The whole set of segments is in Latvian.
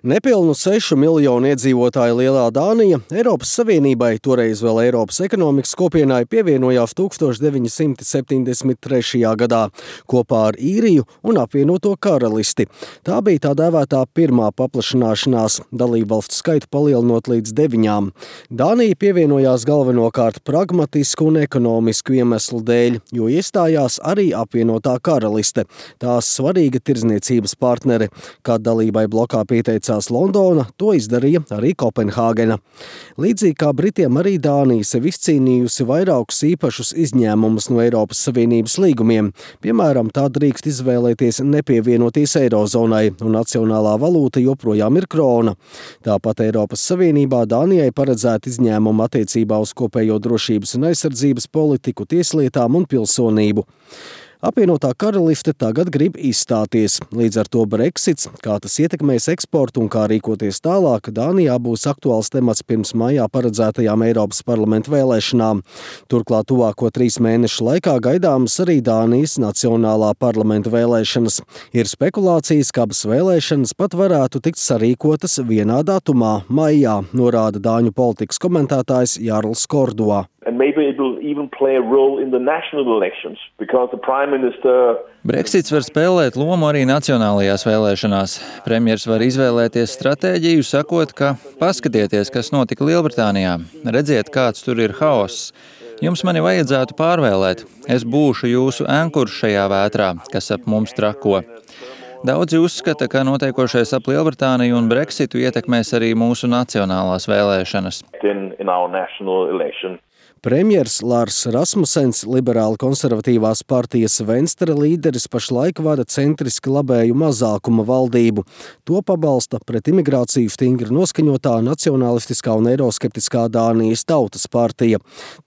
Nepilnu 6 miljonu iedzīvotāju lielā Dānija Eiropas Savienībai, toreiz vēl Eiropas ekonomikas kopienai, pievienojās 1973. gadā kopā ar Īriju un apvienoto karalisti. Tā bija tā dēvētā pirmā paplašināšanās, dalībvalstu skaitu palielinot līdz 9. Dānija pievienojās galvenokārt pragmatisku un ekonomisku iemeslu dēļ, jo iestājās arī apvienotā karaliste, tās svarīga tirdzniecības partnere. Kad dalībai blokā pieteicās Londona, to izdarīja arī Kopenhāgena. Līdzīgi kā Britiem, arī Dānija sev izcīnījusi vairākus īpašus izņēmumus no Eiropas Savienības līgumiem. Piemēram, tā drīkst izvēlēties nepievienoties Eirozonai, un nacionālā valūta joprojām ir krona. Tāpat Eiropas Savienībā Dānijai paredzēta izņēmuma attiecībā uz kopējo drošības un aizsardzības politiku, tieslietām un pilsonību. Apvienotā karaliste tagad grib izstāties. Līdz ar to Brexits, kā tas ietekmēs eksportu un kā rīkoties tālāk, Dānijā būs aktuāls temats pirms maijā paredzētajām Eiropas parlamenta vēlēšanām. Turklāt tuvāko 3 mēnešu laikā gaidāmas arī Dānijas nacionālā parlamenta vēlēšanas. Ir spekulācijas, ka abas vēlēšanas pat varētu tikt sarīkotas vienā datumā, maijā, norāda dāņu politikas komentētājs Jarls Kordoa. And maybe it will even play a role in the national elections, because the Prime Minister... Brexits var spēlēt lomu arī nacionālajās vēlēšanās. Premjers var izvēlēties stratēģiju, sakot, ka paskatieties, kas notika Lielbritānijā. Redziet, kāds tur ir haoss. Jums mani vajadzētu pārvēlēt. Es būšu jūsu ankurs šajā vētrā, kas ap mums trako. Daudzi uzskata, ka notiekošais ap Lielbritāniju un Brexitu ietekmēs arī mūsu nacionālās vēlēšanas. in our national election. Premjers Lars Rasmussens, liberāli konservatīvās partijas Venstre līderis, pašlaik vada centriski labēju mazākuma valdību. To pabalsta pret imigrāciju stingri noskaņotā nacionalistiskā un eiroskeptiskā Dānijas tautas partija.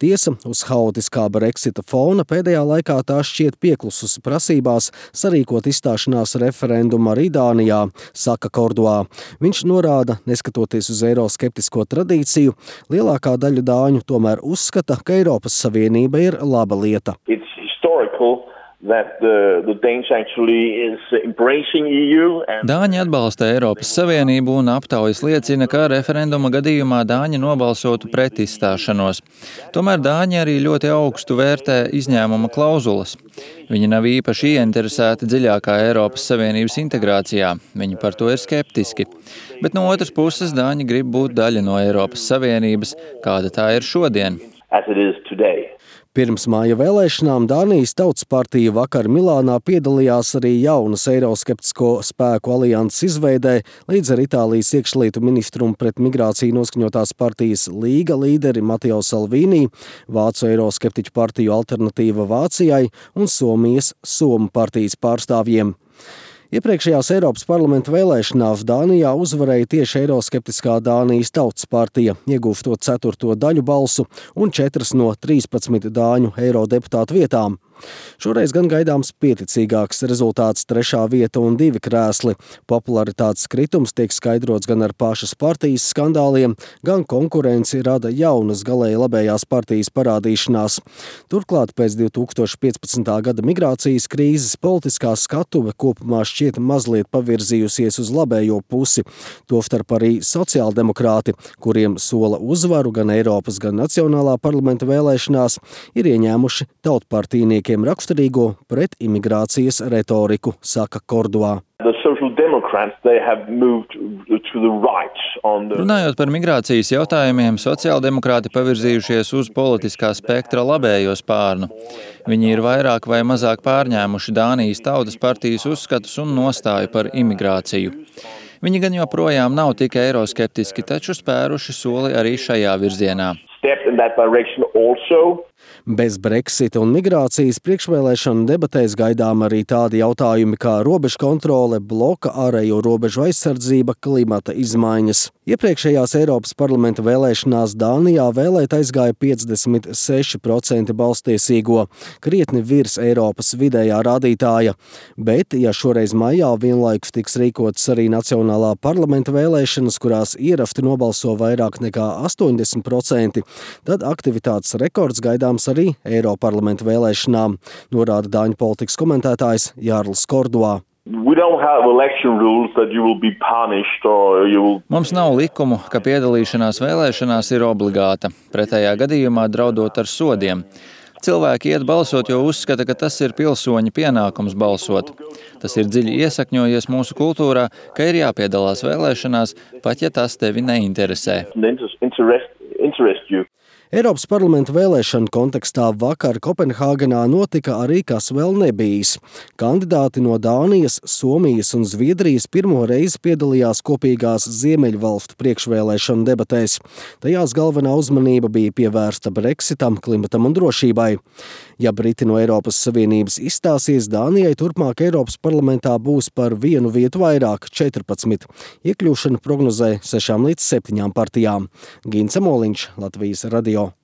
Tiesa, uz haotiskā Brexita fona pēdējā laikā tā šķiet pieklususi prasībās sarīkot izstāšanās referendumu arī Dānijā, saka Kordoā. Viņš norāda, neskatoties uz eiroskeptisko tradīciju, lielākā daļa dāņu tomēr uzskata, ka Eiropas Savienība ir laba lieta. It's historical that the Danes actually is embracing EU and... Dāņi atbalsta Eiropas Savienību un aptaujas liecina, ka referenduma gadījumā Dāņi nobalsotu pret izstāšanos. Tomēr Dāņi arī ļoti augstu vērtē izņēmuma klauzulas. Viņi nav īpaši ieinteresēti dziļākā Eiropas Savienības integrācijā. Viņi par to ir skeptiski. Bet no otras puses Dāņi grib būt daļa no Eiropas Savienības, kāda tā ir šodien. as it is today. Pirms māja vēlēšanām Dānijas Tautas partija vakar Milānā piedalījās arī jaunas eiroskeptisko spēku alianses izveidē, līdz ar Itālijas iekšlietu ministru un pret migrāciju noskaņotās partijas Līga līderi Matteo Salvini, Vācu eiroskeptiķu partiju Alternatīva Vācijai un Somijas Somu partijas pārstāvjiem. Iepriekšējās Eiropas parlamenta vēlēšanās Dānijā uzvarēja tieši eiroskeptiskā Dānijas Tautas partija, iegūstot 4. daļu balsu un 4 no 13 dāņu eirodeputātu vietām. Šoreiz gan gaidāms pieticīgāks rezultāts 3. vieta un 2 krēsli. Popularitātes kritums tiek skaidrots gan ar pašas partijas skandāliem, gan konkurenci rada jaunas galēji labējās partijas parādīšanās. Turklāt pēc 2015. gada migrācijas krīzes politiskā skatuve kopumā šķiet mazliet pavirzījusies uz labējo pusi. Tostarp arī sociāldemokrāti, kuriem sola uzvaru gan Eiropas, gan Nacionālā parlamenta vēlēšanās, ir ieņēmuši tautpartijniekiem raksturīgo pret imigrācijas retoriku, saka Kordoā. Runājot par migrācijas jautājumiem, sociāldemokrāti pavirzījušies uz politiskā spektra labējo spārnu. Viņi ir vairāk vai mazāk pārņēmuši Dānijas Tautas partijas uzskatus un nostāju par imigrāciju. Viņi gan joprojām nav tik eiroskeptiski, taču spēruši soli arī šajā virzienā. Bez Brexita un migrācijas priekšvēlēšanu debatēs gaidām arī tādi jautājumi kā robežu kontrole, bloka ārējo robežu aizsardzība, klimata izmaiņas. Iepriekšējās Eiropas parlamenta vēlēšanās Dānijā vēlēt aizgāja 56% balstiesīgo, krietni virs Eiropas vidējā rādītāja. Bet, ja šoreiz maijā vienlaikus tiks rīkotas arī Nacionālā parlamenta vēlēšanas, kurās ierafti nobalso vairāk nekā 80%, tad aktivitātes rekords gaidāms arī Eiroparlamenta vēlēšanām, norāda dāņu politikas komentētājs Jarls Kordoā. We don't have election rules that you will be punished or you will... Mums nav likumu, ka piedalīšanās vēlēšanās ir obligāta, pretējā gadījumā draudot ar sodiem. Cilvēki iet balsot, jo uzskata, ka tas ir pilsoņa pienākums balsot. Tas ir dziļi iesakņojies mūsu kultūrā, ka ir jāpiedalās vēlēšanās, pat ja tas tevi neinteresē. Eiropas parlamenta vēlēšanu kontekstā vakar Kopenhāgenā notika arī kas vēl nebijis. Kandidāti no Dānijas, Somijas un Zviedrijas pirmo reizi piedalījās kopīgās Ziemeļvalstu priekšvēlēšanu debatēs. Tajās galvenā uzmanība bija pievērsta Brexitam, klimatam un drošībai. Ja Briti no Eiropas Savienības izstāsies, Dānijai turpmāk Eiropas parlamentā būs par vienu vietu vairāk, 14. Iekļūšanu prognozē 6 līdz 7 partijām. Gints Amoliņš, Latvijas radio.